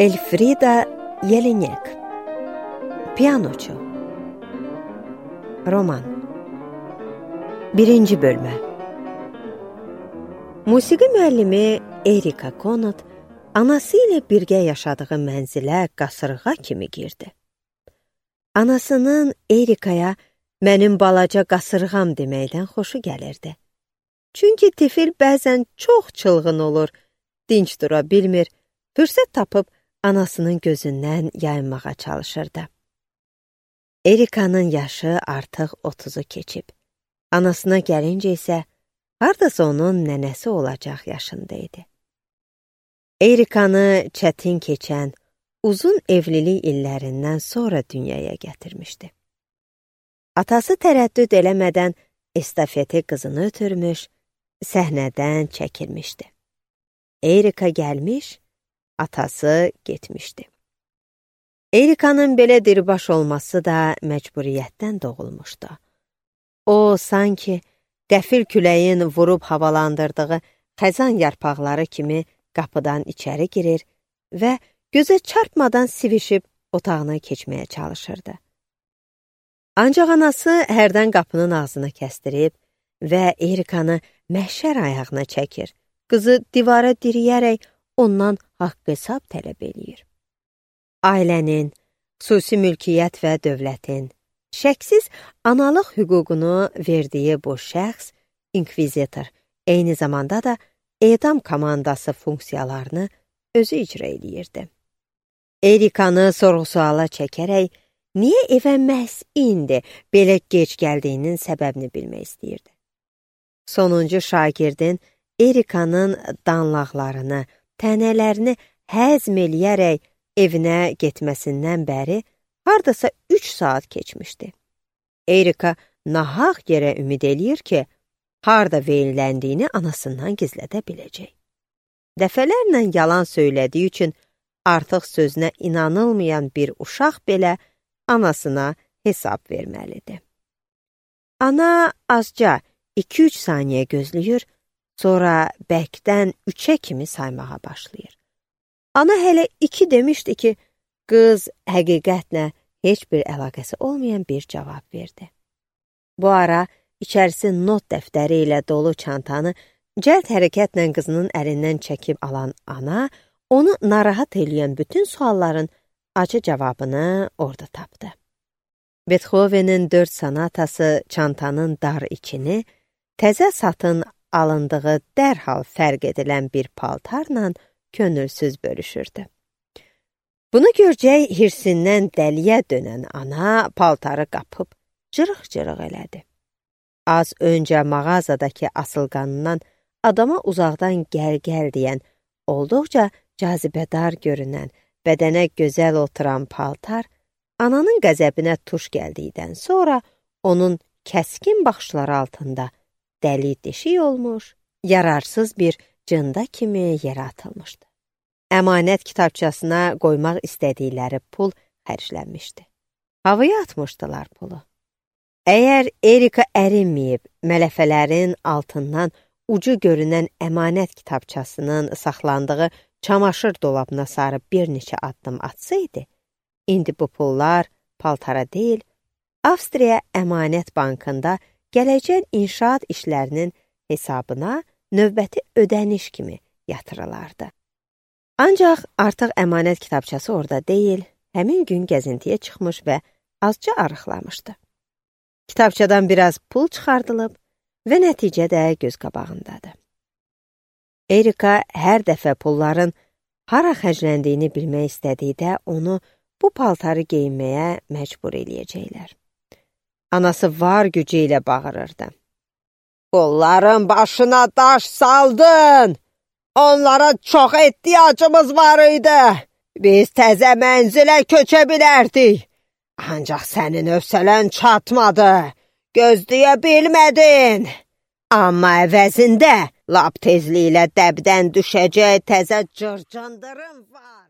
Elfrida Jelinek. Piyanoçu. Roman. 1. bölmə. Musiqi müəllimi Erika Conant anası ilə birgə yaşadığı mənzilə qasırğa kimi girdi. Anasının Erikaya mənim balaca qasırğam deməkdən xoşu gəlirdi. Çünki tifil bəzən çox çılğın olur, dinç dura bilmir, fürsət tapıb anasının gözündən yayınmağa çalışırdı. Erikanın yaşı artıq 30-u keçib. Anasına gəlincə isə hardasa onun nənəsi olacaq yaşında idi. Erikanı çətin keçən, uzun evlilik illərindən sonra dünyaya gətirmişdi. Atası tərəddüd eləmədən estafeti qızını ötürmüş, səhnədən çəkilmişdi. Erika gəlmiş, atası getmişdi. Erikanın belə dirbaş olması da məcburiyyətdən doğulmuşdu. O, sanki qəfil küləyin vurub havalandırdığı xəzan yarpaqları kimi qapıdan içəri girir və gözə çarpmadan sivişib otağına keçməyə çalışırdı. Ancaq anası hərdən qapının ağzını kəsdirib və Erikanı məhşər ayağına çəkir, qızı divara diriyərək ondan haqq-hesab tələb eləyir. Ailənin, xüsusi mülkiyyət və dövlətin, şəksiz analıq hüququnu verdiyi bu şəxs, inkvizitor, eyni zamanda da edam komandası funksiyalarını özü icra eləyirdi. Erikanı sorğu-suala çəkərək, niyə evə məhz indi belə gec gəldiyinin səbəbini bilmək istəyirdi. Sonuncu şagirdin Erikanın danlaqlarını, tənələrini həzm eləyərək evinə getməsindən bəri hardasa 3 saat keçmişdi. Erika nahaq yerə ümid eləyir ki, harda veylləndiyini anasından gizlədə biləcək. Dəfələrlə yalan söylədiyi üçün artıq sözünə inanılmayan bir uşaq belə anasına hesab verməlidir. Ana azca 2-3 saniyə gözləyir, sonra bəkdən 3-ə kimi saymağa başlayır. Ana hələ 2 demişdi ki, qız həqiqətlə heç bir əlaqəsi olmayan bir cavab verdi. Bu ara içərisi not dəftəri ilə dolu çantanı cəld hərəkətlə qızının əlindən çəkib alan ana, onu narahat eləyən bütün sualların acı cavabını orada tapdı. Beethoven'in 4 sonatası çantanın dar içini, təzə satın alındığı dərhal fərq edilən bir paltarla könülsüz bölüşürdü. Bunu görcək hirsindən dəliyə dönən ana paltarı qapıb cırıq-cırıq elədi. Az öncə mağazadakı asılqanından adama uzaqdan gəl-gəl deyən, olduqca cazibədar görünən, bədənə gözəl oturan paltar, ananın qəzəbinə tuş gəldikdən sonra onun kəskin baxışları altında dəli deşik olmuş, yararsız bir cında kimi yerə atılmışdı. Əmanət kitabçasına qoymaq istədikləri pul xərclənmişdi. Havaya atmışdılar pulu. Əgər Erika ərinməyib, mələfələrin altından ucu görünən əmanət kitabçasının saxlandığı çamaşır dolabına sarı bir neçə addım atsaydı, indi bu pullar paltara deyil, Avstriya Əmanət Bankında gələcək inşaat işlərinin hesabına növbəti ödəniş kimi yatırılardı. Ancaq artıq əmanət kitabçası orada deyil, həmin gün gəzintiyə çıxmış və azca arıqlamışdı. Kitabçadan biraz pul çıxardılıb və nəticə də göz qabağındadır. Erika hər dəfə pulların hara xərcləndiyini bilmək istədikdə onu bu paltarı geyinməyə məcbur eləyəcəklər. Anası var gücü ilə bağırırdı. Pulların başına daş saldın! Onlara çox ehtiyacımız var idi. Biz təzə mənzilə köçə bilərdik. Ancaq sənin övsələn çatmadı. Gözləyə bilmədin. Amma əvəzində lap tezliklə dəbdən düşəcək təzə cırcandırın var.